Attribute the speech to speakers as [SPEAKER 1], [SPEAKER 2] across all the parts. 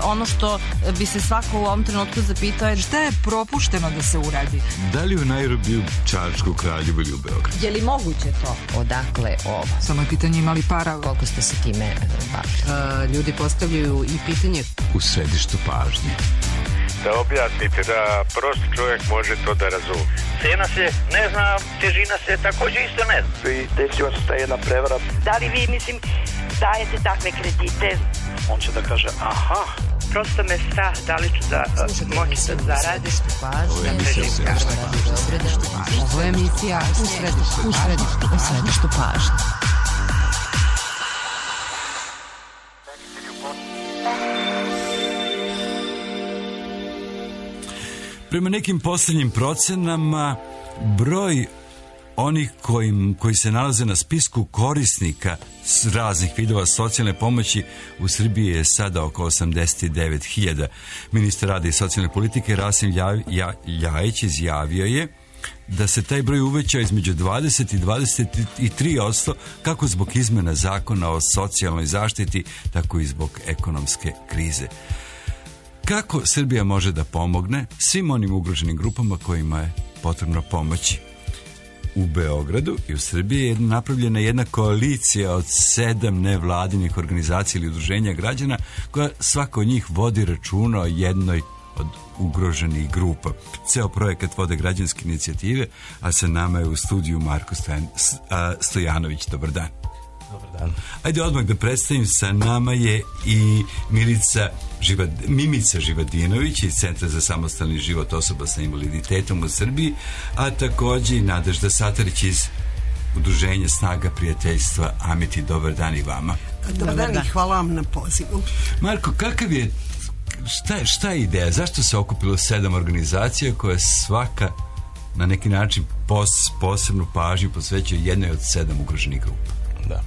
[SPEAKER 1] ono što bi se svako u ovom trenutku zapitao je
[SPEAKER 2] šta je propušteno da se uradi?
[SPEAKER 3] Da li u Nairobiju, Čačku, Kraljevu ili u Beogradu?
[SPEAKER 1] Je li moguće to?
[SPEAKER 4] Odakle ovo?
[SPEAKER 2] Samo je pitanje imali para.
[SPEAKER 4] Koliko ste se time bavili?
[SPEAKER 2] Ljudi postavljaju i pitanje
[SPEAKER 3] u središtu pažnje.
[SPEAKER 5] Da objasnite, da prost čovjek može to da razume.
[SPEAKER 6] Cena se ne zna, težina se također isto ne zna.
[SPEAKER 7] I desila se ta jedna prevara.
[SPEAKER 8] Da li vi, dajete takve kredite?
[SPEAKER 7] On će da kaže, aha.
[SPEAKER 8] Prosto me strah, da li ću da moći da zaradim.
[SPEAKER 2] Ovo je emisija u središtu pažnje.
[SPEAKER 3] Prema nekim posljednjim procenama, broj onih koji se nalaze na spisku korisnika raznih vidova socijalne pomoći u Srbiji je sada oko 89.000. Ministar rada i socijalne politike Rasim Ljajić izjavio je da se taj broj uveća između 20 i 23%, kako zbog izmena zakona o socijalnoj zaštiti, tako i zbog ekonomske krize. Kako Srbija može da pomogne svim onim ugroženim grupama kojima je potrebno pomoći? U Beogradu i u Srbiji je napravljena jedna koalicija od 7 nevladinih organizacija ili udruženja građana, koja svako od njih vodi računa o jednoj od ugroženih grupa. Ceo projekat vode građanske inicijative, a sa nama je u studiju Marko Stojanović. Dobar dan.
[SPEAKER 9] Dobar dan.
[SPEAKER 3] Ajde odmah da predstavim, sa nama je i Mimica Živadinović iz Centra za samostalni život osoba sa invaliditetom u Srbiji, a također i Nadežda Satarić iz Udruženja Snaga prijateljstva Amiti. Dobar dan i vama.
[SPEAKER 10] Dobar dan i hvala vam na pozivu.
[SPEAKER 3] Marko, kakav je, šta je ideja? Zašto se okupilo 7 organizacija koje svaka na neki način posebnu pažnju posvećuje jednoj od 7 ugroženih grupa?
[SPEAKER 9] Da.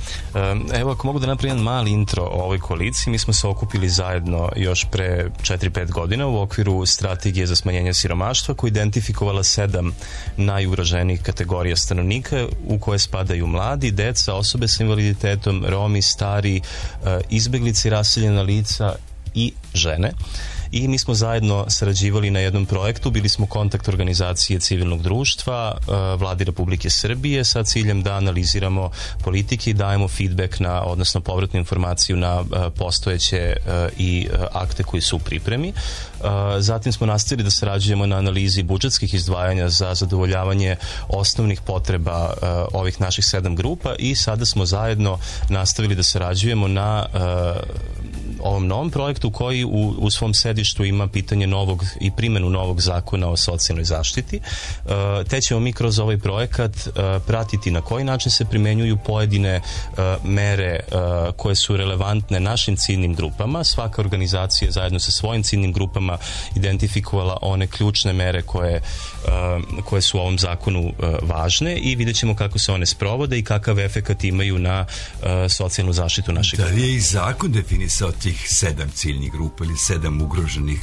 [SPEAKER 9] Evo, ako mogu da napravim jedan mali intro o ovoj koaliciji, mi smo se okupili zajedno još pre 4-5 godina u okviru strategije za smanjenje siromaštva, koja je identifikovala 7 najugroženijih kategorija stanovnika, u koje spadaju mladi, deca, osobe sa invaliditetom, Romi, stari, izbeglice i raseljena lica i žene. I mi smo zajedno sarađivali na jednom projektu, bili smo kontakt organizacije civilnog društva, Vladi Republike Srbije, sa ciljem da analiziramo politike i dajemo feedback odnosno povratnu informaciju na postojeće i akte koji su u pripremi. Zatim smo nastavili da sarađujemo na analizi budžetskih izdvajanja za zadovoljavanje osnovnih potreba ovih naših 7 grupa i sada smo zajedno nastavili da sarađujemo na ovom novom projektu koji u svom sedištu ima pitanje novog i primjenu novog zakona o socijalnoj zaštiti. Te ćemo mi kroz ovaj projekat pratiti na koji način se primenjuju pojedine mere koje su relevantne našim ciljnim grupama. Svaka organizacija zajedno sa svojim ciljnim grupama identifikovala one ključne mere koje su u ovom zakonu važne i vidjet ćemo kako se one sprovode i kakav efekat imaju na socijalnu zaštitu naših grupa.
[SPEAKER 3] Da li je i zakon definisao tih 7 ciljnih grupa ili 7 ugroženih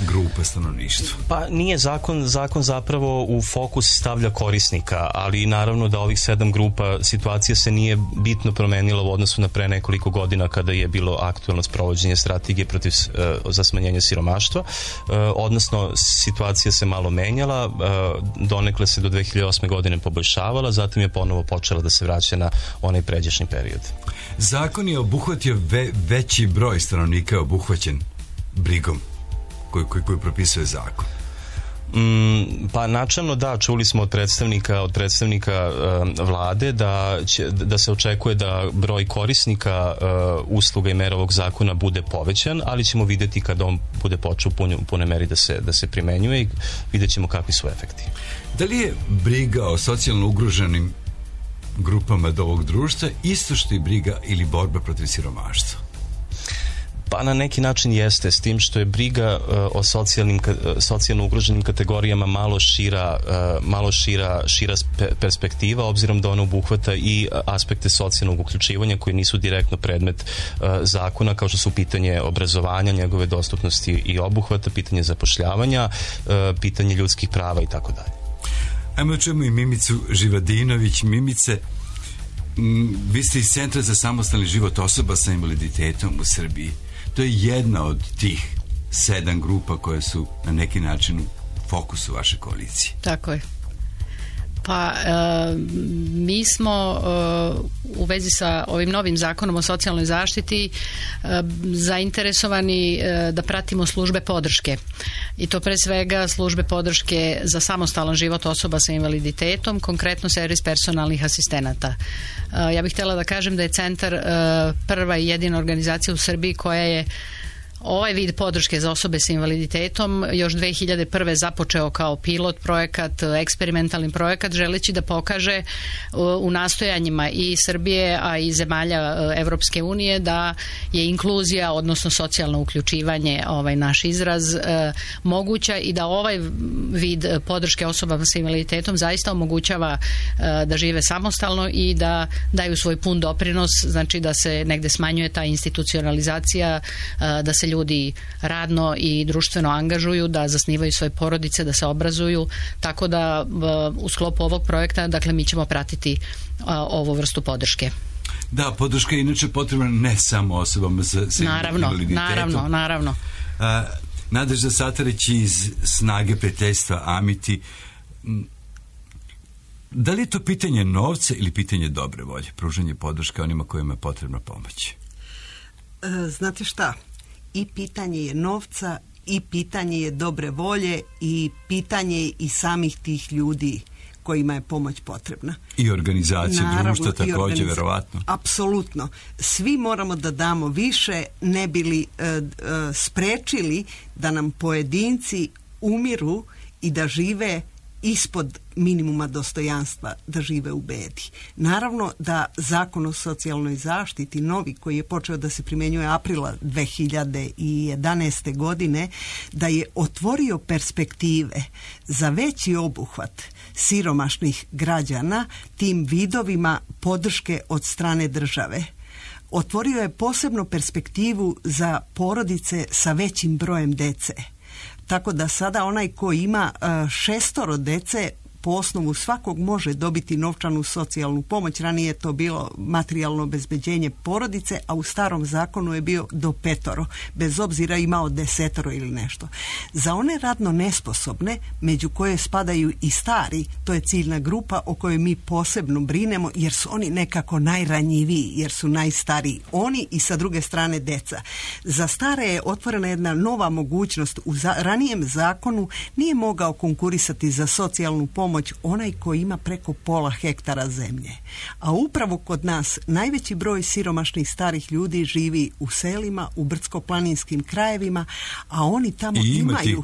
[SPEAKER 3] grupa stanovništva?
[SPEAKER 9] Pa nije zakon zapravo u fokus stavlja korisnika, ali naravno da ovih 7 grupa situacija se nije bitno promenila u odnosu na pre nekoliko godina kada je bilo aktuelno sprovođenje strategije za smanjenje siromaštva, odnosno situacija se malo menjala, donekle se do 2008. godine poboljšavala, zatim je ponovo počela da se vraća na onaj pređašnji period.
[SPEAKER 3] Zakon je obuhvatio veći broj stanovnika obuhvaćen brigom koji propisuje zakon.
[SPEAKER 9] Pa načelno da, čuli smo od predstavnika vlade da se očekuje da broj korisnika usluga i mera ovog zakona bude povećan, ali ćemo vidjeti kada on bude počeo u punoj meri da se primenjuje i vidjet ćemo kakvi su efekti.
[SPEAKER 3] Da li je briga o socijalno ugroženim grupama do ovog društva isto što i briga ili borba protiv siromaštva?
[SPEAKER 9] Pa na neki jeste, s tim što je briga o socijalno ugroženim kategorijama malo šira perspektiva, obzirom da ona obuhvata i aspekte socijalnog uključivanja koji nisu direktno predmet zakona, kao što su pitanje obrazovanja, njegove dostupnosti i obuhvata, pitanje zapošljavanja, pitanje ljudskih prava i tako dalje.
[SPEAKER 3] Ajmo čujemo i Mimicu Živadinović. Mimice, vi ste iz Centra za samostalni život osoba sa invaliditetom u Srbiji. To je jedna od tih 7 grupa koje su na neki način u fokusu vaše koalicije.
[SPEAKER 11] Tako je. Pa mi smo u vezi sa ovim novim zakonom o socijalnoj zaštiti zainteresovani da pratimo službe podrške. I to pre svega službe podrške za samostalan život osoba sa invaliditetom, konkretno servis personalnih asistenata. Ja bih htjela da kažem da je Centar prva i jedina organizacija u Srbiji koja je ovaj vid podrške za osobe sa invaliditetom još 2001. započeo kao pilot projekat, eksperimentalni projekat, želeći da pokaže u nastojanjima i Srbije, a i zemalja Evropske unije da je inkluzija, odnosno socijalno uključivanje, naš izraz, moguća i da ovaj vid podrške osobama sa invaliditetom zaista omogućava da žive samostalno i da daju svoj pun doprinos, znači da se negde smanjuje ta institucionalizacija, da se ljudi radno i društveno angažuju, da zasnivaju svoje porodice, da se obrazuju, tako da u sklopu ovog projekta, dakle, mi ćemo pratiti ovu vrstu podrške.
[SPEAKER 3] Da, podrška je inače potrebna ne samo osobama sa invaliditetom.
[SPEAKER 11] Naravno.
[SPEAKER 3] Nadežda Satarić iz Snage prijateljstva Amiti, da li je to pitanje novca ili pitanje dobre volje, pružanje podrške onima kojima je potrebna pomoć?
[SPEAKER 10] Znate šta? I pitanje je novca, i pitanje je dobre volje, i pitanje je i samih tih ljudi kojima je pomoć potrebna.
[SPEAKER 3] I organizacije društva također, verovatno.
[SPEAKER 10] Apsolutno. Svi moramo da damo više, ne bili sprečili da nam pojedinci umiru i da žive ispod minimuma dostojanstva, da žive u bedi. Naravno da Zakon o socijalnoj zaštiti, novi, koji je počeo da se primjenjuje aprila 2011. godine, da je otvorio perspektive za veći obuhvat siromašnih građana tim vidovima podrške od strane države. Otvorio je posebno perspektivu za porodice sa većim brojem dece. Tako da sada onaj ko ima 6 dece po osnovu svakog može dobiti novčanu socijalnu pomoć. Ranije je to bilo materijalno obezbeđenje porodice, a u starom zakonu je bio do 5, bez obzira imao 10 ili nešto. Za one radno nesposobne, među koje spadaju i stari, to je ciljna grupa o kojoj mi posebno brinemo, jer su oni nekako najranjiviji, jer su najstariji. Oni i sa druge strane deca. Za stare je otvorena jedna nova mogućnost. U ranijem zakonu nije mogao konkurisati za socijalnu pomoć onaj koji ima preko pola hektara zemlje. A upravo kod nas najveći broj siromašnih starih ljudi živi u selima, u brdsko-planinskim krajevima, a oni tamo imaju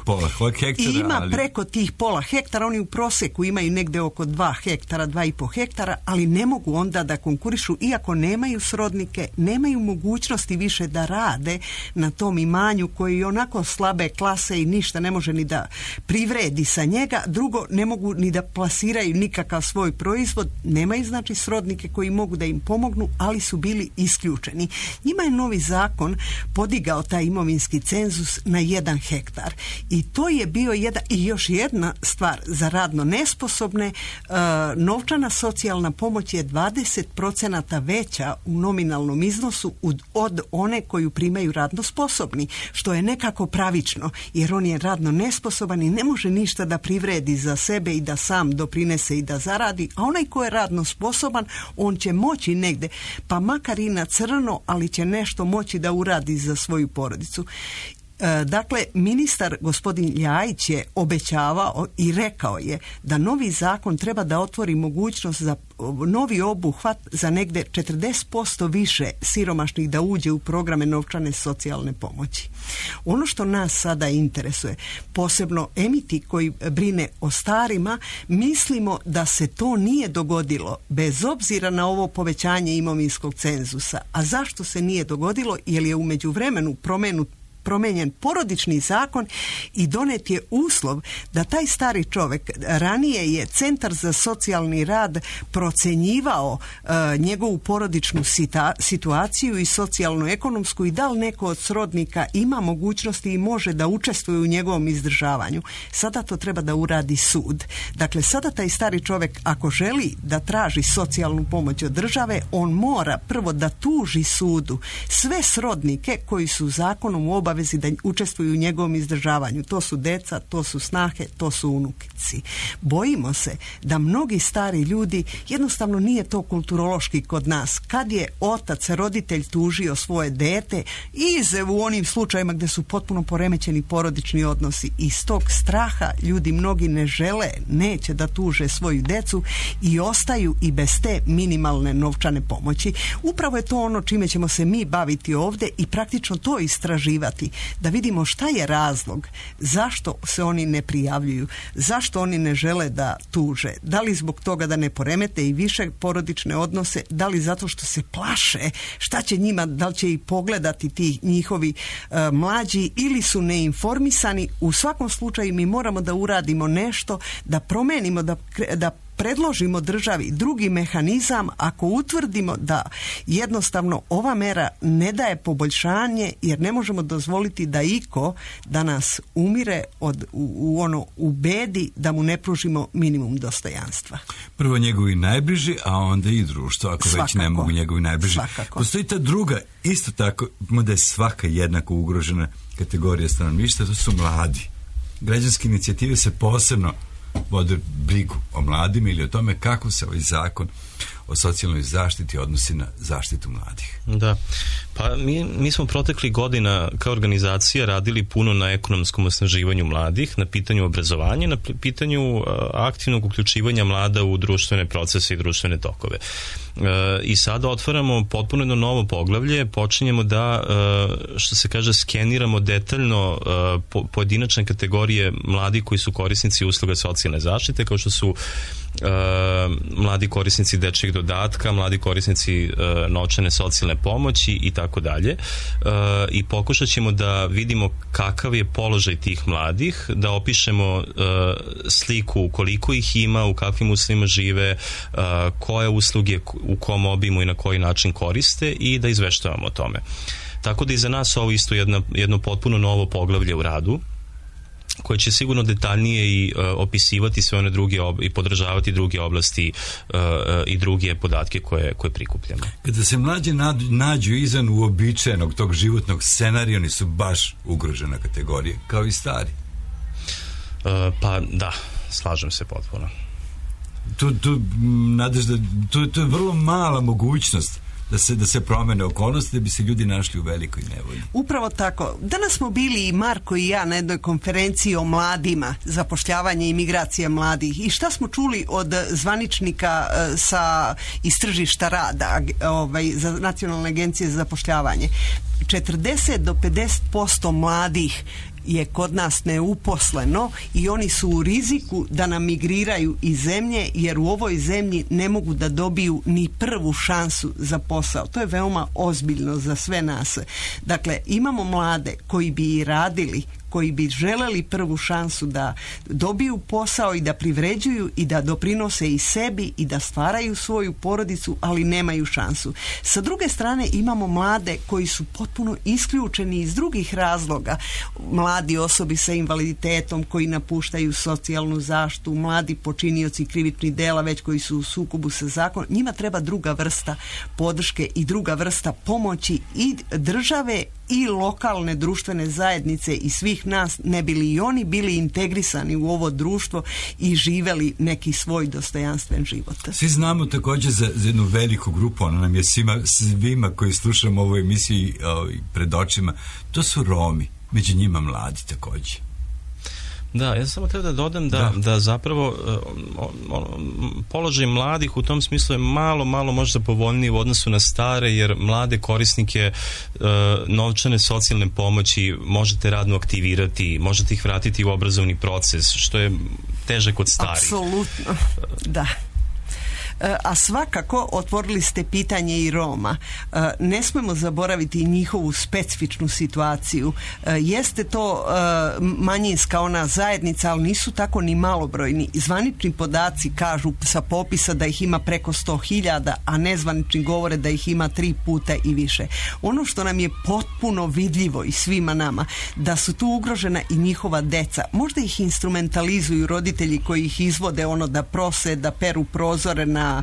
[SPEAKER 10] preko tih pola hektara. Oni u prosjeku imaju negde oko 2 hektara, 2,5 hektara, ali ne mogu onda da konkurišu, iako nemaju srodnike, nemaju mogućnosti više da rade na tom imanju koji je onako slabe klase i ništa ne može ni da privredi sa njega. Drugo, ne mogu ni da plasiraju nikakav svoj proizvod, nemaju znači srodnike koji mogu da im pomognu, ali su bili isključeni. Njima je novi zakon podigao taj imovinski cenzus na 1 hektar. I to je bio i još jedna stvar za radno nesposobne. Novčana socijalna pomoć je 20% veća u nominalnom iznosu od one koju primaju radno sposobni, što je nekako pravično, jer on je radno nesposoban i ne može ništa da privredi za sebe i da sam doprinese i da zaradi, a onaj ko je radno sposoban, on će moći negde, pa makar i na crno, ali će nešto moći da uradi za svoju porodicu. Dakle, ministar gospodin Ljajić je obećavao i rekao je da novi zakon treba da otvori mogućnost za novi obuhvat za negde 40% više siromašnih da uđe u programe novčane socijalne pomoći. Ono što nas sada interesuje, posebno Emiti koji brine o starima, mislimo da se to nije dogodilo bez obzira na ovo povećanje imovinskog cenzusa. A zašto se nije dogodilo? Jer je u međuvremenu promijenjen porodični zakon i donet je uslov da taj stari čovjek, ranije je Centar za socijalni rad procenjivao njegovu porodičnu situaciju i socijalno-ekonomsku i da li neko od srodnika ima mogućnosti i može da učestvuje u njegovom izdržavanju. Sada to treba da uradi sud. Dakle, sada taj stari čovjek, ako želi da traži socijalnu pomoć od države, on mora prvo da tuži sudu sve srodnike koji su zakonom u obavezi da učestvuju u njegovom izdržavanju. To su deca, to su snahe, to su unukici. Bojimo se da mnogi stari ljudi, jednostavno nije to kulturološki kod nas. Kad je otac, roditelj tužio svoje dete, u onim slučajima gdje su potpuno poremećeni porodični odnosi, iz tog straha ljudi mnogi ne žele, neće da tuže svoju decu i ostaju i bez te minimalne novčane pomoći. Upravo je to ono čime ćemo se mi baviti ovdje i praktično to istraživati, da vidimo šta je razlog, zašto se oni ne prijavljuju, zašto oni ne žele da tuže, da li zbog toga da ne poremete i više porodične odnose, da li zato što se plaše šta će njima, da li će ih pogledati ti njihovi mlađi ili su neinformisani. U svakom slučaju mi moramo da uradimo nešto, da promenimo, da predložimo državi drugi mehanizam ako utvrdimo da jednostavno ova mera ne daje poboljšanje, jer ne možemo dozvoliti da iko danas umire u bedi, da mu ne pružimo minimum dostojanstva.
[SPEAKER 3] Prvo njegovi najbliži, a onda i društvo, ako
[SPEAKER 10] svakako,
[SPEAKER 3] već ne mogu njegovi najbliži.
[SPEAKER 10] Svakako.
[SPEAKER 3] Postoji ta druga, isto tako, da je svaka jednako ugrožena kategorija stanovništva, to su mladi. Građanske inicijative se posebno vode brigu o mladima ili o tome kako se ovaj zakon o socijalnoj zaštiti odnosi na zaštitu mladih.
[SPEAKER 9] Da, pa mi smo protekli godina kao organizacija radili puno na ekonomskom osnaživanju mladih, na pitanju obrazovanja, na pitanju aktivnog uključivanja mlada u društvene procese i društvene tokove. I sada otvaramo potpuno jedno novo poglavlje, počinjemo da, što se kaže, skeniramo detaljno pojedinačne kategorije mladih koji su korisnici usluga socijalne zaštite, kao što su mladi korisnici dečjeg dodatka, mladi korisnici novčane socijalne pomoći i tako dalje. I pokušat ćemo da vidimo kakav je položaj tih mladih, da opišemo sliku koliko ih ima, u kakvim uslovima žive, koje usluge u kom obimu i na koji način koriste i da izveštavamo o tome. Tako da i za nas ovo isto jedno potpuno novo poglavlje u radu, koje će sigurno detaljnije i opisivati sve one druge i podržavati druge oblasti i druge podatke koje prikupljamo.
[SPEAKER 3] Kada se mlađi nađu izvan uobičajenog tog životnog scenarija, oni su baš ugrožena kategorija, kao i stari.
[SPEAKER 9] Pa da, slažem se potpuno.
[SPEAKER 3] To je vrlo mala mogućnost da se promene okolnosti, da bi se ljudi našli u velikoj nevolji.
[SPEAKER 10] Upravo tako. Danas smo bili i Marko i ja na jednoj konferenciji o mladima, zapošljavanje i migracija mladih. I šta smo čuli od zvaničnika iz tržišta rada, za Nacionalne agencije za zapošljavanje? 40 do 50% mladih je kod nas neuposleno i oni su u riziku da nam migriraju iz zemlje, jer u ovoj zemlji ne mogu da dobiju ni prvu šansu za posao. To je veoma ozbiljno za sve nas. Dakle, imamo mlade koji bi i radili, koji bi želeli prvu šansu da dobiju posao i da privređuju i da doprinose i sebi i da stvaraju svoju porodicu, ali nemaju šansu. Sa druge strane imamo mlade koji su potpuno isključeni iz drugih razloga. Mladi osobi sa invaliditetom koji napuštaju socijalnu zaštitu, mladi počinioci krivičnih dela već koji su u sukobu sa zakonom. Njima treba druga vrsta podrške i druga vrsta pomoći i države i lokalne društvene zajednice i svih nas, ne bili i oni bili integrisani u ovo društvo i živeli neki svoj dostojanstven život.
[SPEAKER 3] Svi znamo također za jednu veliku grupu, ona nam je svima koji slušamo ovu emisiju pred očima, to su Romi, među njima mladi također.
[SPEAKER 9] Da, ja samo treba da dodam da zapravo položaj mladih u tom smislu je malo možda povoljniji u odnosu na stare, jer mlade korisnike novčane socijalne pomoći možete radno aktivirati, možete ih vratiti u obrazovni proces, što je teže kod starih.
[SPEAKER 10] Apsolutno, da. A svakako otvorili ste pitanje i Roma. Ne smemo zaboraviti njihovu specifičnu situaciju. Jeste to manjinska ona zajednica, ali nisu tako ni malobrojni. Zvanični podaci kažu sa popisa da ih ima preko 100.000, a nezvanični govore da ih ima 3 puta i više. Ono što nam je potpuno vidljivo i svima nama, da su tu ugrožena i njihova deca. Možda ih instrumentalizuju roditelji koji ih izvode da prose, da peru prozore na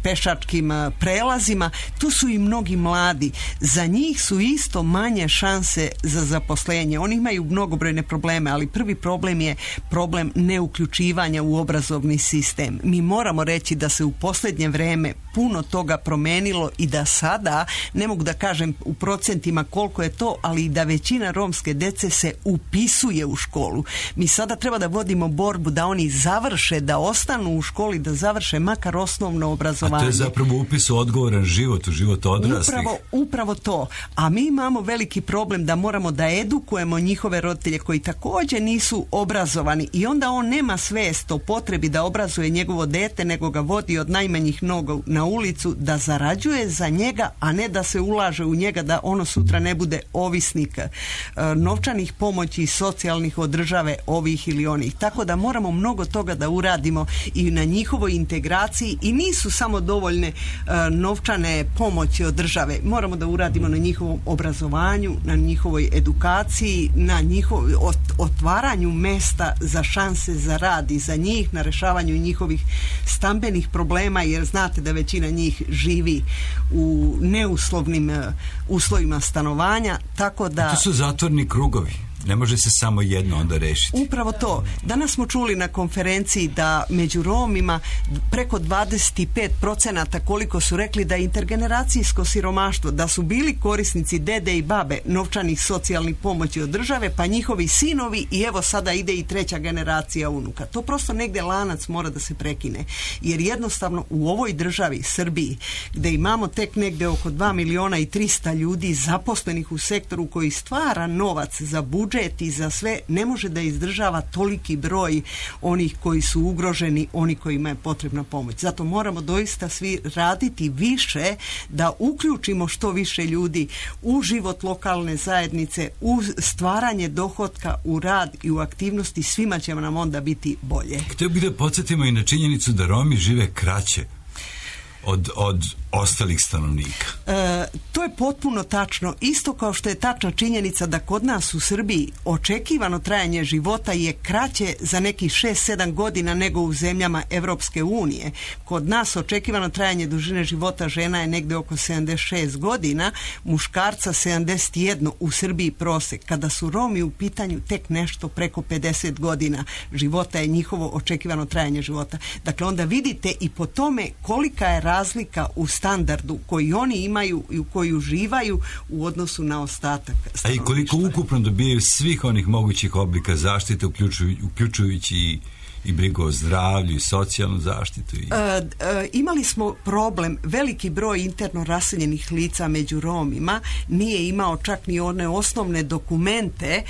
[SPEAKER 10] pešačkim prelazima. Tu su i mnogi mladi. Za njih su isto manje šanse za zaposlenje. Oni imaju mnogobrojne probleme, ali prvi problem je problem neuključivanja u obrazovni sistem. Mi moramo reći da se u posljednje vreme puno toga promenilo i da sada, ne mogu da kažem u procentima koliko je to, ali i da većina romske dece se upisuje u školu. Mi sada treba da vodimo borbu da oni završe, da ostanu u školi, da završe makar osnovno obrazovanje.
[SPEAKER 3] A to je zapravo upis u odgovoran život, u život odraslih.
[SPEAKER 10] Upravo to. A mi imamo veliki problem da moramo da edukujemo njihove roditelje koji također nisu obrazovani i onda on nema svest o potrebi da obrazuje njegovo dete, nego ga vodi od najmanjih nogu na ulicu, da zarađuje za njega, a ne da se ulaže u njega, da ono sutra ne bude ovisnik novčanih pomoći, socijalnih od države, ovih ili onih. Tako da moramo mnogo toga da uradimo i na njihovoj integraciji i nisu samo dovoljne novčane pomoći od države. Moramo da uradimo na njihovom obrazovanju, na njihovoj edukaciji, na njihovoj otvaranju mesta za šanse za rad i za njih, na rešavanju njihovih stambenih problema, jer znate da većina njih živi u neuslovnim uslovima stanovanja, tako da...
[SPEAKER 3] To su zatvorni krugovi. Ne može se samo jedno onda rešiti.
[SPEAKER 10] Upravo to. Danas smo čuli na konferenciji da među Romima preko 25% koliko su rekli da je intergeneracijsko siromaštvo, da su bili korisnici dede i babe novčanih socijalnih pomoći od države, pa njihovi sinovi i evo sada ide i 3. generacija unuka. To prosto negdje lanac mora da se prekine. Jer jednostavno u ovoj državi, Srbiji, gdje imamo tek negdje oko 2.300.000 ljudi zaposlenih u sektoru koji stvara novac za budžet i za sve, ne može da izdržava toliki broj onih koji su ugroženi, oni kojima je potrebna pomoć. Zato moramo doista svi raditi više da uključimo što više ljudi u život lokalne zajednice, u stvaranje dohotka, u rad i u aktivnosti. Svima će nam onda biti bolje.
[SPEAKER 3] Htio bih da podsjetimo i na činjenicu da Romi žive kraće od ostalih stanovnika.
[SPEAKER 10] To je potpuno tačno. Isto kao što je tačna činjenica da kod nas u Srbiji očekivano trajanje života je kraće za nekih 6-7 godina nego u zemljama Evropske unije. Kod nas očekivano trajanje dužine života žena je negdje oko 76 godina, muškarca 71, u Srbiji prosek. Kada su Romi u pitanju, tek nešto preko 50 godina života je njihovo očekivano trajanje života. Dakle, onda vidite i po tome kolika je razlika u standardu koji oni imaju i u koji uživaju u odnosu na ostatak stanovništva.
[SPEAKER 3] A i koliko ukupno dobijaju svih onih mogućih oblika zaštite, uključujući i brigu o zdravlju i socijalnu zaštitu?
[SPEAKER 10] Imali smo problem, veliki broj interno raseljenih lica među Romima nije imao čak ni one osnovne dokumente,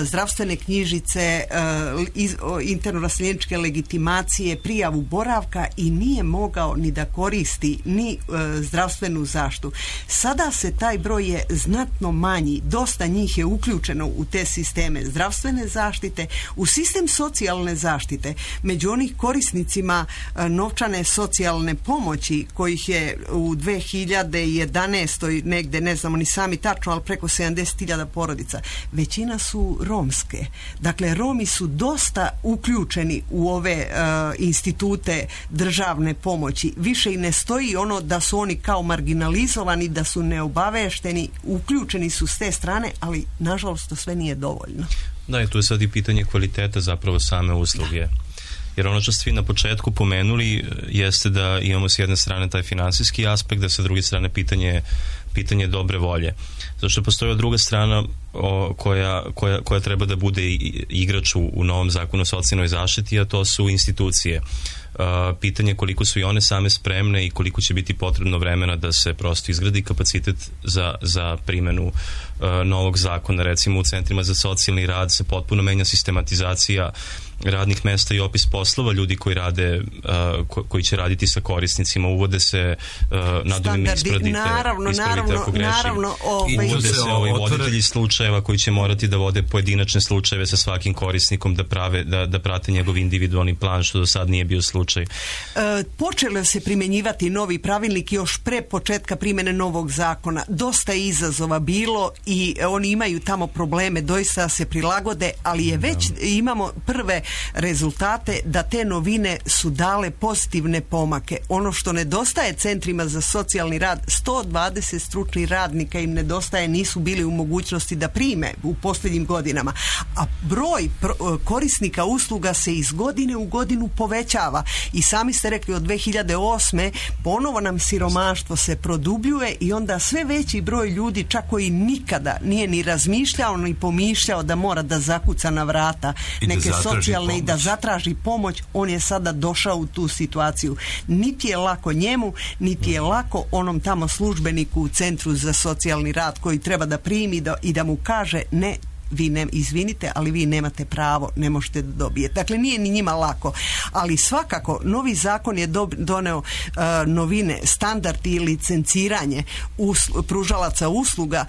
[SPEAKER 10] zdravstvene knjižice, interno raseljeničke legitimacije, prijavu boravka i nije mogao ni da koristi ni zdravstvenu zaštitu. Sada se taj broj je znatno manji, dosta njih je uključeno u te sisteme zdravstvene zaštite, u sistem socijalne zaštite. Među onih korisnicima novčane socijalne pomoći kojih je u 2011. negde, ne znamo ni sami tačno, ali preko 70.000 porodica, većina su romske. Dakle, Romi su dosta uključeni u ove institute državne pomoći. Više i ne stoji ono da su oni kao marginalizovani, da su neobavešteni, uključeni su s te strane, ali nažalost to sve nije dovoljno.
[SPEAKER 9] Da, i tu je sad i pitanje kvaliteta zapravo same usluge. Jer ono što ste vi na početku pomenuli jeste da imamo s jedne strane taj finansijski aspekt, da sa druge strane pitanje dobre volje. Zato što postoji druga strana koja treba da bude igrač u novom zakonu o socijalnoj zaštiti, a to su institucije. pitanje koliko su i one same spremne i koliko će biti potrebno vremena da se prosto izgradi kapacitet za primjenu novog zakona. Recimo u centrima za socijalni rad se potpuno menja sistematizacija radnih mesta i opis poslova ljudi koji rade, koji će raditi sa korisnicima. Uvode se naduvimi ispravite ako grešim. Uvode se voditelji slučajeva koji će morati da vode pojedinačne slučajeve sa svakim korisnikom, da prate njegov individualni plan, što do sad nije bio slučaj.
[SPEAKER 10] Počelo se primjenjivati novi pravilnik još pre početka primjene novog zakona. Dosta je izazova bilo i oni imaju tamo probleme, doista se prilagode, ali je već imamo prve rezultate da te novine su dale pozitivne pomake. Ono što nedostaje centrima za socijalni rad, 120 stručnih radnika im nedostaje, nisu bili u mogućnosti da prime u posljednjim godinama. A broj korisnika usluga se iz godine u godinu povećava. I sami ste rekli, od 2008. ponovo nam siromaštvo se produbljuje i onda sve veći broj ljudi, čak koji nikada nije ni razmišljao ni pomišljao da mora da zakuca na vrata neke socijalne i da zatraži pomoć, on je sada došao u tu situaciju. Niti je lako njemu, niti je lako onom tamo službeniku u centru za socijalni rad koji treba da primi i da mu kaže ne, vi izvinite, ali vi nemate pravo, ne možete da dobijete. Dakle, nije ni njima lako. Ali svakako, novi zakon je doneo novine, standardi i licenciranje pružalaca usluga,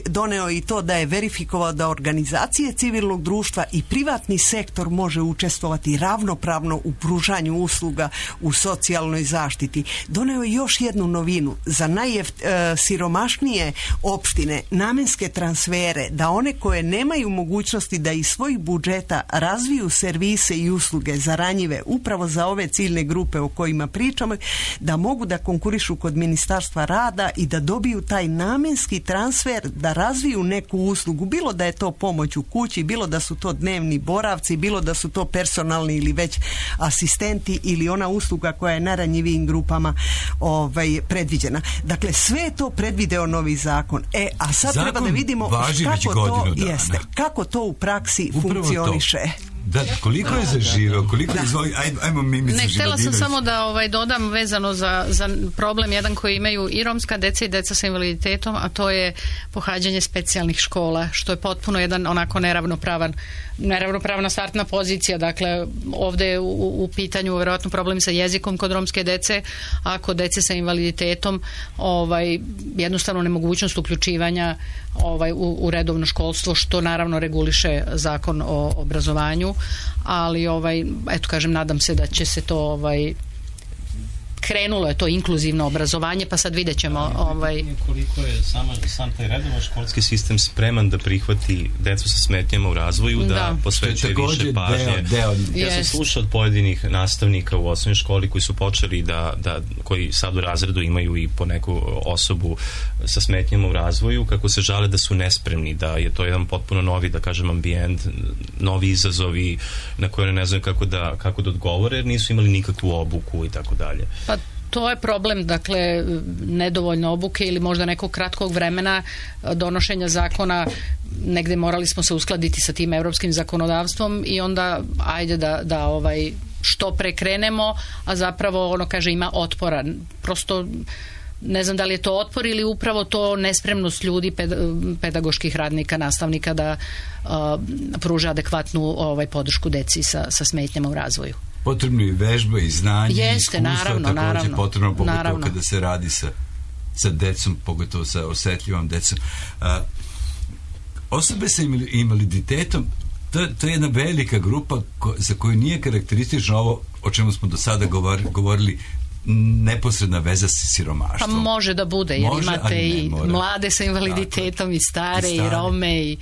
[SPEAKER 10] doneo i to da je verifikovao da organizacije civilnog društva i privatni sektor može učestvovati ravnopravno u pružanju usluga u socijalnoj zaštiti. Doneo je još jednu novinu za najsiromašnije opštine, namenske transfere, da one koje nemaju mogućnosti da iz svojih budžeta razviju servise i usluge za ranjive, upravo za ove ciljne grupe o kojima pričamo, da mogu da konkurišu kod Ministarstva rada i da dobiju taj namenski transfer, da razviju neku uslugu, bilo da je to pomoć u kući, bilo da su to dnevni boravci, bilo da su to personalni ili već asistenti ili ona usluga koja je najranjivijim grupama predviđena. Dakle, sve je to predvideo novi zakon. A sad treba da vidimo kako to u praksi funkcioniše.
[SPEAKER 3] Da, koliko je zaživeo, ajmo mi
[SPEAKER 11] Ne, htjela sam samo da dodam vezano za problem jedan koji imaju i romska deca i deca sa invaliditetom, a to je pohađanje specijalnih škola, što je potpuno jedan onako neravnopravna startna pozicija. Dakle, ovdje je u pitanju vjerojatno problem sa jezikom kod romske dece, a kod dece sa invaliditetom jednostavno nemogućnost uključivanja u redovno školstvo, što naravno reguliše zakon o obrazovanju, ali eto kažem, nadam se da će se to krenulo je to inkluzivno obrazovanje, pa sad vidjet ćemo
[SPEAKER 9] koliko je sam taj redovan školski sistem spreman da prihvati decu sa smetnjama u razvoju, da posvećuje više pažnje. Ja sam slušao od pojedinih nastavnika u osnovnoj školi koji su počeli koji sad u razredu imaju i po neku osobu sa smetnjama u razvoju, kako se žale da su nespremni, da je to jedan potpuno novi, da kažem, ambijent, novi izazovi na koje ne znaju kako da odgovore, jer nisu imali nikakvu obuku i tako dalje.
[SPEAKER 11] Pa to je problem, dakle, nedovoljno obuke ili možda nekog kratkog vremena donošenja zakona. Negde morali smo se uskladiti sa tim europskim zakonodavstvom i onda ajde da što pre krenemo, a zapravo ima otpora. Prosto ne znam da li je to otpor ili upravo to nespremnost ljudi, pedagoških radnika, nastavnika da pruže adekvatnu podršku deci sa smetnjama u razvoju.
[SPEAKER 3] Potrebno i vežba i znanje i iskustva,
[SPEAKER 11] naravno,
[SPEAKER 3] potrebno pogotovo kada se radi sa decom, pogotovo sa osetljivom decom. Osobe sa invaliditetom, to je jedna velika grupa za koju nije karakteristično ovo o čemu smo do sada govorili, neposredna veza sa siromaštvom.
[SPEAKER 11] Pa može da bude, jer imate i mlade sa invaliditetom, i stare, i Rome, i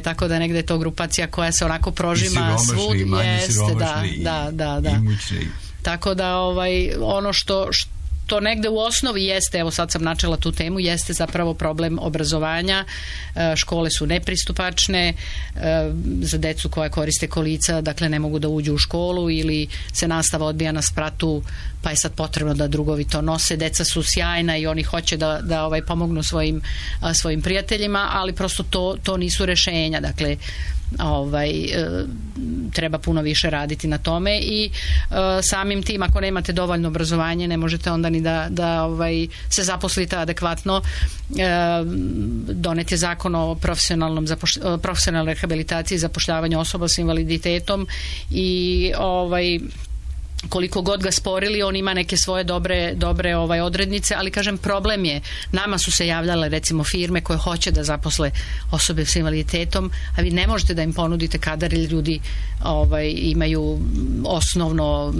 [SPEAKER 11] tako da negde je to grupacija koja se onako prožima svud.
[SPEAKER 3] I manje siromašni,
[SPEAKER 11] da.
[SPEAKER 3] imućni.
[SPEAKER 11] Tako da ono što negde u osnovi jeste, evo sad sam načela tu temu, jeste zapravo problem obrazovanja. Škole su nepristupačne za decu koja koriste kolica, dakle ne mogu da uđu u školu ili se nastava odbija na spratu, pa je sad potrebno da drugovi to nose. Deca su sjajna i oni hoće da pomognu svojim prijateljima, ali prosto to nisu rešenja. Dakle, treba puno više raditi na tome i samim tim ako nemate dovoljno obrazovanje ne možete onda ni da se zaposlite adekvatno. Donet je zakon o profesionalnoj rehabilitaciji i zapošljavanju osoba s invaliditetom i koliko god ga sporili, on ima neke svoje dobre odrednice, ali kažem, problem je, nama su se javljale recimo firme koje hoće da zaposle osobe s invaliditetom, a vi ne možete da im ponudite kadar ili ljudi imaju osnovno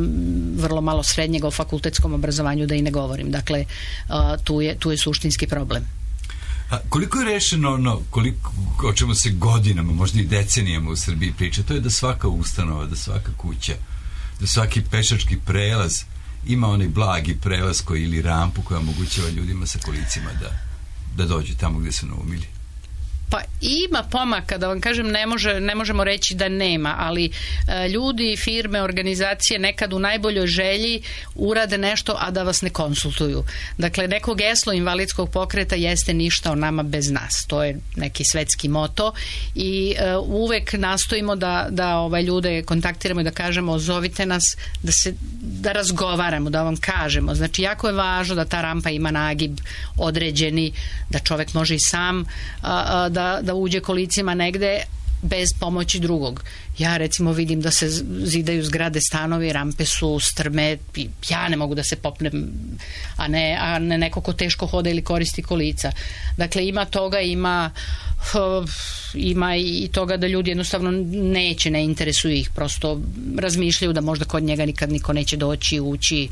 [SPEAKER 11] vrlo malo srednjeg o fakultetskom obrazovanju, da i ne govorim. Dakle, tu je suštinski problem.
[SPEAKER 3] A koliko je rešeno o čemu se godinama, možda i decenijama u Srbiji priča, to je da svaka ustanova, da svaka kuća, da svaki pešački prelaz ima onaj blagi prelaz ili rampu koja omogućava ljudima sa kolicima da dođu tamo gdje su naumili.
[SPEAKER 11] Pa ima pomaka, da vam kažem, ne možemo reći da nema, ali ljudi, firme, organizacije nekad u najboljoj želji urade nešto, a da vas ne konsultuju. Dakle, neko geslo invalidskog pokreta jeste ništa o nama bez nas. To je neki svetski moto i uvek nastojimo da ljude kontaktiramo i da kažemo, zovite nas, da razgovaramo, da vam kažemo. Znači, jako je važno da ta rampa ima nagib određeni, da čovek može i sam da uđe kolicima negde bez pomoći drugog. Ja recimo vidim da se zidaju zgrade, stanovi, rampe su strme, ja ne mogu da se popnem, a ne neko ko teško hoda ili koristi kolica. Dakle, ima toga, ima i toga da ljudi jednostavno ne interesuju ih, prosto razmišljaju da možda kod njega nikad niko neće doći, ući,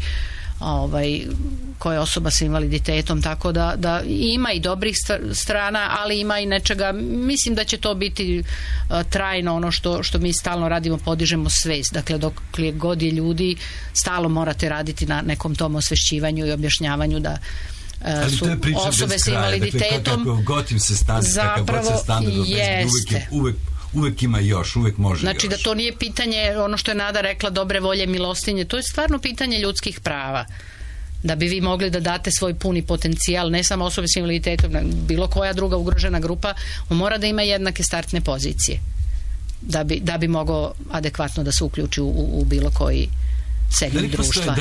[SPEAKER 11] koja je osoba sa invaliditetom, tako da ima i dobrih strana, ali ima i nečega. Mislim da će to biti trajno, ono što mi stalno radimo, podižemo svest. Dakle, dok god je ljudi, stalno morate raditi na nekom tom osvešćivanju i objašnjavanju da su osobe sa invaliditetom
[SPEAKER 3] kako god im se standard jeste. Uvek ima još, uvek može.
[SPEAKER 11] Znači
[SPEAKER 3] još.
[SPEAKER 11] Da to nije pitanje, ono što je Nada rekla, dobre volje, milostinje, to je stvarno pitanje ljudskih prava. Da bi vi mogli da date svoj puni potencijal, ne samo osobe s invaliditetom, bilo koja druga ugrožena grupa, on mora da ima jednake startne pozicije. Da bi mogao adekvatno da se uključi u bilo koji segment društva.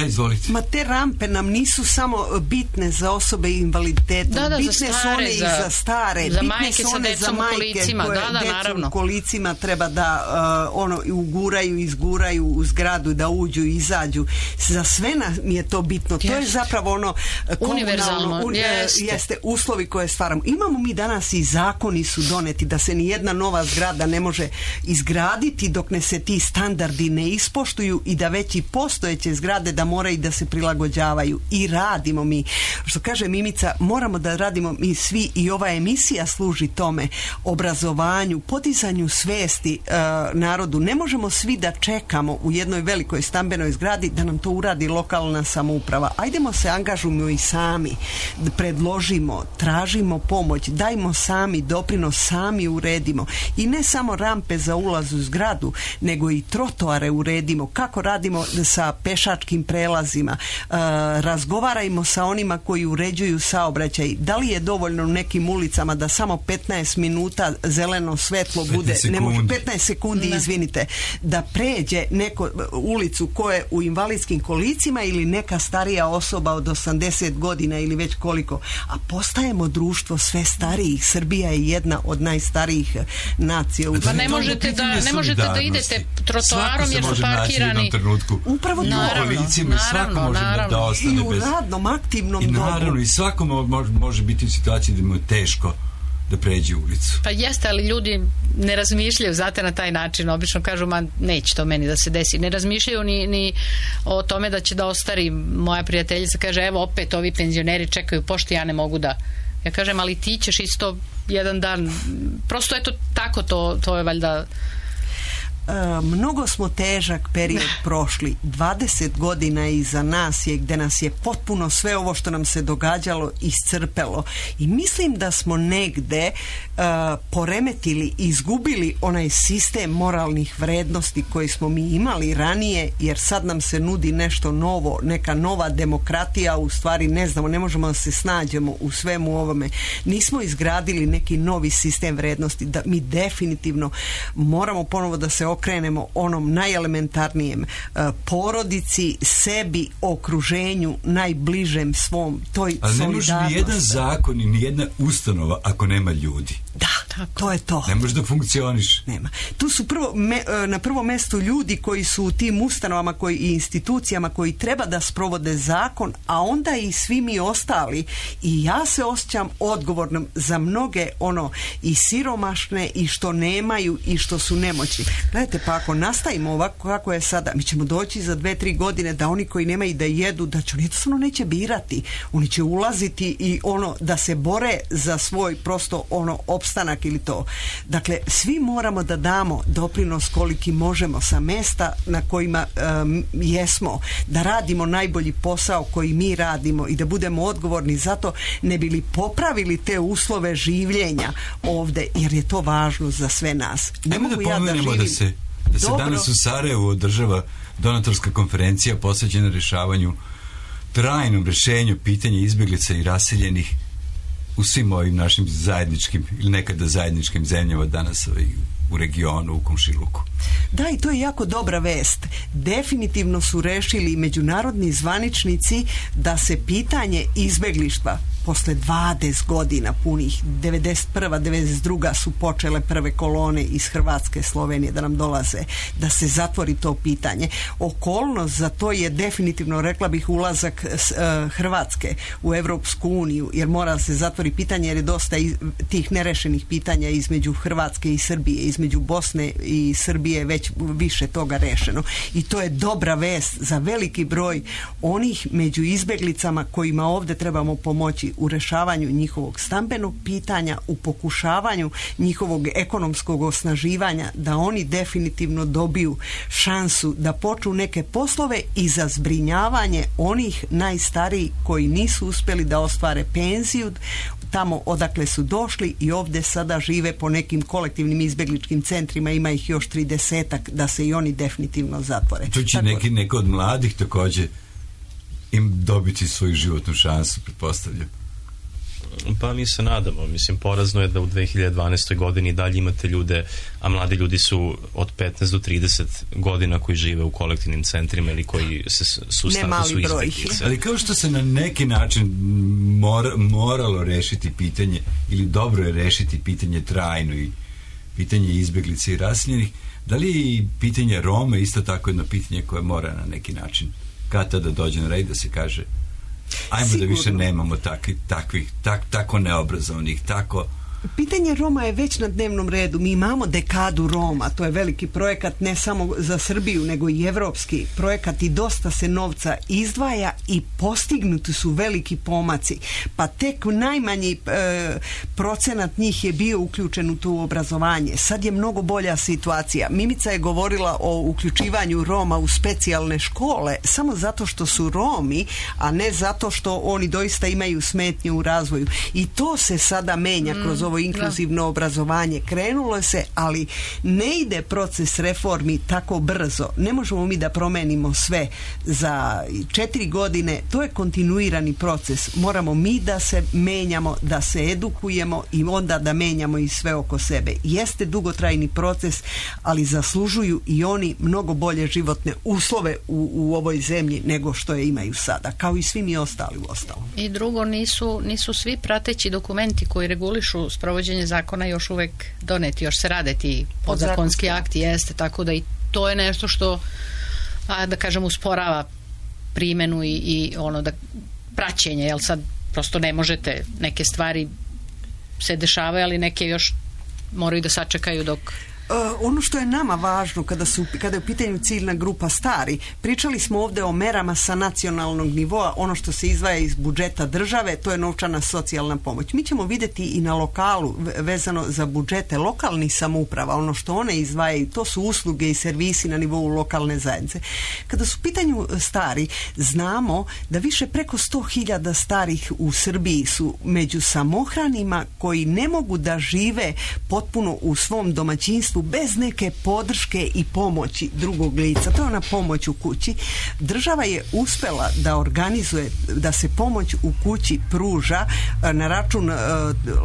[SPEAKER 10] Ma te rampe nam nisu samo bitne za osobe invaliditetom, bitne su one i za stare,
[SPEAKER 11] za
[SPEAKER 10] bitne su one za majke koje decu u kolicima treba da uguraju, izguraju u zgradu, da uđu i izađu. Za sve nam je to bitno. To je zapravo ono
[SPEAKER 11] univerzalno,
[SPEAKER 10] jeste uslovi koje stvaramo. Imamo mi danas i zakoni su doneti da se ni jedna nova zgrada ne može izgraditi dok ne se ti standardi ne ispoštuju i da već i postojeće zgrade da moraju da se prilagođavaju, i radimo mi. Što kaže Mimica, moramo da radimo mi svi, i ova emisija služi tome, obrazovanju, podizanju svesti narodu. Ne možemo svi da čekamo u jednoj velikoj stambenoj zgradi da nam to uradi lokalna samouprava. Ajdemo se angažujemo i sami, predložimo, tražimo pomoć, dajmo sami doprinos, sami uredimo. I ne samo rampe za ulaz u zgradu, nego i trotoare uredimo. Kako radimo sa pešačkim prelazima, razgovarajmo sa onima koji uređuju saobraćaj. Da li je dovoljno u nekim ulicama da samo 15 minuta zeleno svetlo bude, 15 sekundi, izvinite, da pređe neko ulicu ko je u invalidskim kolicima ili neka starija osoba od 80 godina ili već koliko. A postajemo društvo sve starijih. Srbija je jedna od najstarijih nacija.
[SPEAKER 11] Pa ne možete da idete trotoarom jer su parkirani.
[SPEAKER 10] Upravo to.
[SPEAKER 3] Svako može da ostane
[SPEAKER 10] i u radnom, aktivnom dobu.
[SPEAKER 3] I naravno, i svako može biti u situaciji da mu je teško da pređe ulicu.
[SPEAKER 11] Pa jeste, ali ljudi ne razmišljaju znate na taj način. Obično kažu, neće to meni da se desi. Ne razmišljaju ni o tome da će da ostari. Moja prijateljica kaže, evo opet ovi penzioneri čekaju pošti, ja ne mogu da. Ja kažem, ali ti ćeš isto jedan dan. Prosto eto tako, to je valjda
[SPEAKER 10] mnogo smo težak period prošli. 20 godina iza nas je gdje nas je potpuno sve ovo što nam se događalo iscrpelo. I mislim da smo negde poremetili, izgubili onaj sistem moralnih vrednosti koji smo mi imali ranije, jer sad nam se nudi nešto novo, neka nova demokratija, u stvari ne znamo, ne možemo da se snađemo u svemu ovome. Nismo izgradili neki novi sistem vrednosti, da mi definitivno moramo ponovo da se okrenemo onom najelementarnijem, porodici, sebi, okruženju, najbližem svom, toj solidarnosti.
[SPEAKER 3] Ali ne može ni jedan zakon i ni jedna ustanova ako nema ljudi.
[SPEAKER 10] Da, to je to.
[SPEAKER 3] Ne može da funkcioniš.
[SPEAKER 10] Nema. Tu su na prvom mjestu ljudi koji su u tim ustanovama i institucijama koji treba da sprovode zakon, a onda i svi mi ostali. I ja se osjećam odgovornom za mnoge i siromašne i što nemaju i što su nemoćni. Gledajte, pa ako nastavimo ovako kako je sada, mi ćemo doći za 2-3 godine da oni koji nemaju da jedu, da će oni jednostavno neće birati. Oni će ulaziti i da se bore za svoj prosto opstanak ili to. Dakle, svi moramo da damo doprinos koliki možemo sa mesta na kojima jesmo, da radimo najbolji posao koji mi radimo i da budemo odgovorni za to, ne bi li popravili te uslove življenja ovde, jer je to važno za sve nas. Ne mogu ja da živim.
[SPEAKER 3] Da se danas u Sarajevu održava donatorska konferencija posvećena rješavanju, trajnom rješenju pitanja izbjeglica i raseljenih u svim ovim našim zajedničkim ili nekada zajedničkim zemljama danas u regionu, u komšiluku.
[SPEAKER 10] Da, i to je jako dobra vest. Definitivno su rešili međunarodni zvaničnici da se pitanje izbeglištva posle 20 godina punih, 91. 92. su počele prve kolone iz Hrvatske, Slovenije da nam dolaze, da se zatvori to pitanje. Okolnost za to je definitivno, rekla bih, ulazak Hrvatske u Evropsku uniju, jer mora se zatvori pitanje, jer je dosta tih nerešenih pitanja između Hrvatske i Srbije, između Bosne i Srbije već više toga rešeno. I to je dobra vest za veliki broj onih među izbeglicama kojima ovdje trebamo pomoći u rešavanju njihovog stambenog pitanja, u pokušavanju njihovog ekonomskog osnaživanja, da oni definitivno dobiju šansu da počnu neke poslove i za zbrinjavanje onih najstarijih koji nisu uspjeli da ostvare penziju tamo odakle su došli i ovdje sada žive po nekim kolektivnim izbjegličkim centrima, ima ih još 30-ak, da se i oni definitivno zatvore.
[SPEAKER 3] Tu će neko od mladih također im dobiti svoju životnu šansu, pretpostavljam.
[SPEAKER 9] Pa mi se nadamo. Mislim, porazno je da u 2012. godini dalje imate ljude, a mladi ljudi su od 15 do 30 godina koji žive u kolektivnim centrima ili koji su u statusu izbjeglica.
[SPEAKER 3] Ali kao što se na neki način moralo rešiti pitanje, ili dobro je rešiti pitanje trajno i pitanje izbjeglice i raseljenih, da li je i pitanje Roma isto tako jedno pitanje koje mora na neki način kada da dođe na red, da se kaže ajmo sigurno da više nemamo takvih tako neobrazovnih, tako.
[SPEAKER 10] Pitanje Roma je već na dnevnom redu. Mi imamo dekadu Roma, to je veliki projekat ne samo za Srbiju, nego i evropski projekat i dosta se novca izdvaja i postignuti su veliki pomaci. Pa tek najmanji procenat njih je bio uključen u to obrazovanje. Sad je mnogo bolja situacija. Mimica je govorila o uključivanju Roma u specijalne škole samo zato što su Romi, a ne zato što oni doista imaju smetnje u razvoju. I to se sada menja kroz ovo inkluzivno obrazovanje. Krenulo se, ali ne ide proces reformi tako brzo. Ne možemo mi da promenimo sve za 4 godine. To je kontinuirani proces. Moramo mi da se menjamo, da se edukujemo i onda da menjamo i sve oko sebe. Jeste dugotrajni proces, ali zaslužuju i oni mnogo bolje životne uslove u ovoj zemlji nego što je imaju sada, kao i svi mi ostali u ostalom.
[SPEAKER 11] I drugo, nisu svi prateći dokumenti koji regulišu sprovođenje zakona još uvek doneti, još se rade ti podzakonski akti, jeste, tako da i to je nešto što, da kažem, usporava primjenu i ono da praćenje, jel sad prosto ne možete, neke stvari se dešavaju, ali neke još moraju da sačekaju dok
[SPEAKER 10] Ono što je nama važno kada je u pitanju ciljna grupa stari, pričali smo ovdje o merama sa nacionalnog nivoa, ono što se izdvaja iz budžeta države, to je novčana socijalna pomoć. Mi ćemo vidjeti i na lokalu vezano za budžete lokalnih samouprava, ono što one izdvajaju, to su usluge i servisi na nivou lokalne zajednice. Kada su u pitanju stari, znamo da više preko 100.000 starih u Srbiji su među samohranima koji ne mogu da žive potpuno u svom domaćinstvu bez neke podrške i pomoći drugog lica. To je ona pomoć u kući. Država je uspela da organizuje, da se pomoć u kući pruža na račun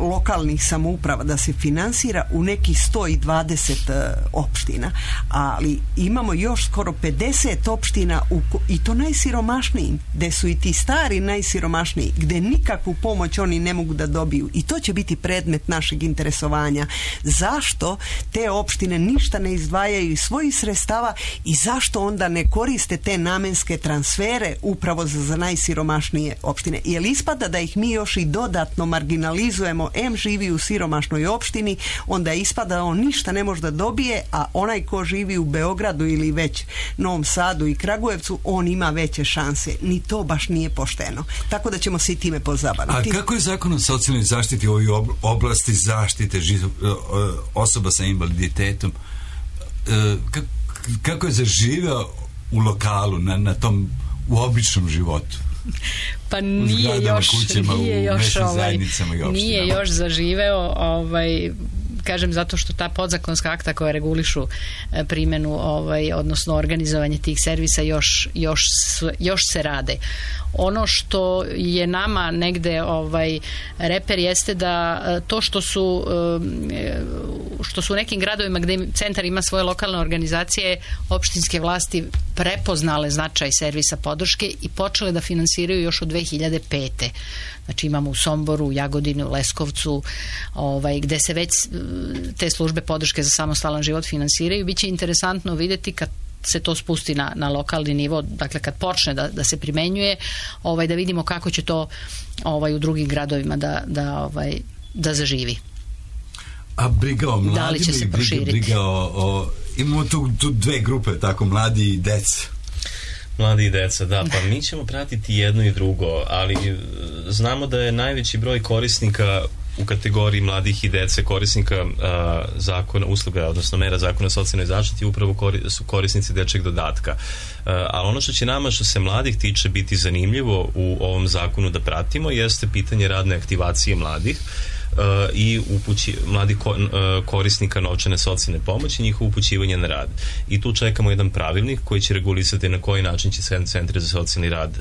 [SPEAKER 10] lokalnih samouprava, da se finansira u nekih 120 opština, ali imamo još skoro 50 opština i to najsiromašnijim, gde su i ti stari najsiromašniji, gde nikakvu pomoć oni ne mogu da dobiju, i to će biti predmet našeg interesovanja. Zašto te opštine ništa ne izdvajaju iz svojih sredstava i zašto onda ne koriste te namenske transfere upravo za najsiromašnije opštine? Jer ispada da ih mi još i dodatno marginalizujemo, živi u siromašnoj opštini, onda ispada da on ništa ne može da dobije, a onaj ko živi u Beogradu ili već Novom Sadu i Kragujevcu, on ima veće šanse. Ni to baš nije pošteno. Tako da ćemo se i time pozabaviti.
[SPEAKER 3] A kako je zakon o socijalnoj zaštiti u ovoj oblasti zaštite osoba sa invaliditetom, kako je zaživeo u lokalu, na tom u običnom životu?
[SPEAKER 11] Pa nije još zaživeo, kažem, zato što ta podzakonska akta koja regulišu primjenu, odnosno organizovanje tih servisa još se rade. Ono što je nama negde reper jeste da to što su u nekim gradovima gdje centar ima svoje lokalne organizacije, opštinske vlasti prepoznale značaj servisa podrške i počele da finansiraju još od 2005. Znači imamo u Somboru, u Jagodini, u Leskovcu, gde se već te službe podrške za samostalan život finansiraju. Biće interesantno vidjeti kad se to spusti na lokalni nivo, dakle kad počne da se primenjuje, da vidimo kako će to u drugim gradovima da zaživi.
[SPEAKER 3] A briga o mladima,
[SPEAKER 11] da li će se proširiti?
[SPEAKER 3] Briga imamo tu dve grupe, tako, mladi i deca.
[SPEAKER 9] Mladi i deca, da, pa mi ćemo pratiti jedno i drugo, ali znamo da je najveći broj korisnika u kategoriji mladih i dece, korisnika zakona, usluga, odnosno mera zakona o socijalnoj zaštiti, upravo su korisnici dečjeg dodatka. Ali ono što će nama, što se mladih tiče, biti zanimljivo u ovom zakonu da pratimo, jeste pitanje radne aktivacije mladih i mladih korisnika novčane socijalne pomoći, njihovo upućivanje na rad. I tu čekamo jedan pravilnik koji će regulisati na koji način će centri za socijalni rad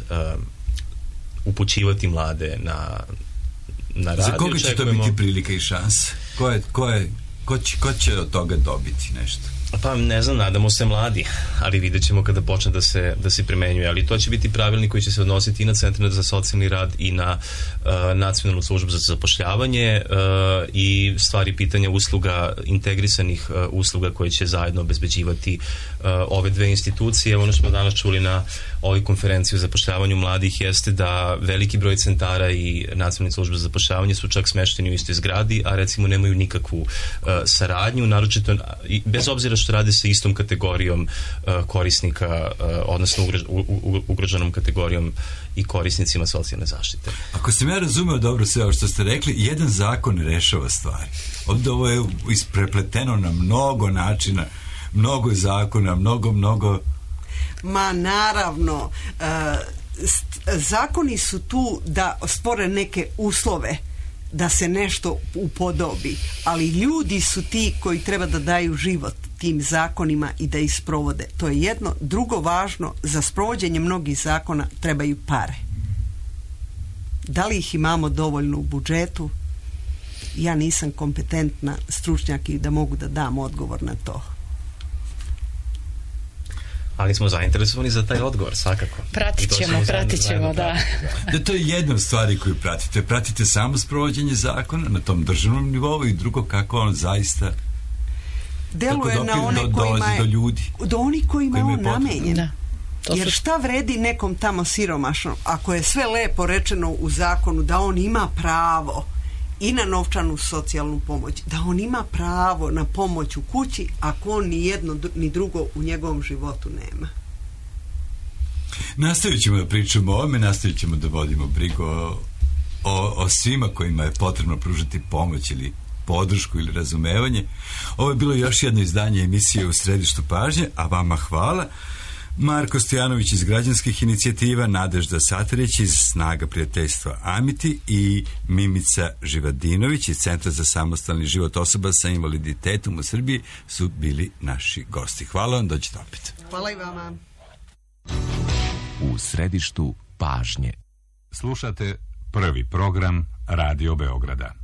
[SPEAKER 9] upućivati mlade na rad.
[SPEAKER 3] Za koga će to biti prilika i šanse? Ko će od toga dobiti nešto?
[SPEAKER 9] Pa ne znam, nadamo se mladi, ali vidjet ćemo kada počne da se primenjuje, ali to će biti pravilnik koji će se odnositi i na centre za socijalni rad i na nacionalnu službu za zapošljavanje i stvari pitanja usluga, integrisanih usluga koje će zajedno obezbeđivati ove dve institucije. Ono što smo danas čuli na ovoj konferenciji o zapošljavanju mladih jeste da veliki broj centara i nacionalne službe za zapošljavanje su čak smešteni u istoj zgradi, a recimo nemaju nikakvu saradnju, naročito bez obzira što radi sa istom kategorijom korisnika, odnosno ugroženom kategorijom i korisnicima socijalne zaštite.
[SPEAKER 3] Ako sam ja razumeo dobro sve ovo što ste rekli, jedan zakon rešava stvari. Ovdje ovo je isprepleteno na mnogo načina, mnogo zakona, mnogo...
[SPEAKER 10] Ma naravno, zakoni su tu da stvore neke uslove da se nešto upodobi, ali ljudi su ti koji treba da daju život tim zakonima i da ih sprovode. To je jedno. Drugo važno, za sprovođenje mnogih zakona trebaju pare. Da li ih imamo dovoljno u budžetu? Ja nisam kompetentna stručnjak i da mogu da dam odgovor na to.
[SPEAKER 9] Ali smo zainteresovani za taj odgovor, svakako.
[SPEAKER 11] Pratit ćemo, da.
[SPEAKER 3] Da, to je jedna od stvari koju pratite. Pratite samo sprovođenje zakona na tom državnom nivou i drugo kako on zaista
[SPEAKER 10] deluje na one kojima je
[SPEAKER 3] do ljudi.
[SPEAKER 10] Do onih kojima je on namenjen.
[SPEAKER 11] Da.
[SPEAKER 10] Jer šta vredi nekom tamo siromašnom ako je sve lepo rečeno u zakonu da on ima pravo i na novčanu socijalnu pomoć, da on ima pravo na pomoć u kući ako on ni jedno ni drugo u njegovom životu nema.
[SPEAKER 3] Nastavit ćemo da pričamo o ovome, nastavit ćemo da vodimo brigu o svima kojima je potrebno pružati pomoć ili podršku ili razumevanje. Ovo je bilo još jedno izdanje emisije U središtu pažnje, a vama hvala. Marko Stojanović iz Građanskih inicijativa, Nadežda Satarić iz Snaga prijateljstva Amiti i Mimica Živadinović iz Centra za samostalni život osoba sa invaliditetom u Srbiji su bili naši gosti. Hvala vam, dođite opet.
[SPEAKER 10] Hvala i vama.
[SPEAKER 12] U središtu pažnje. Slušate prvi program Radio Beograda.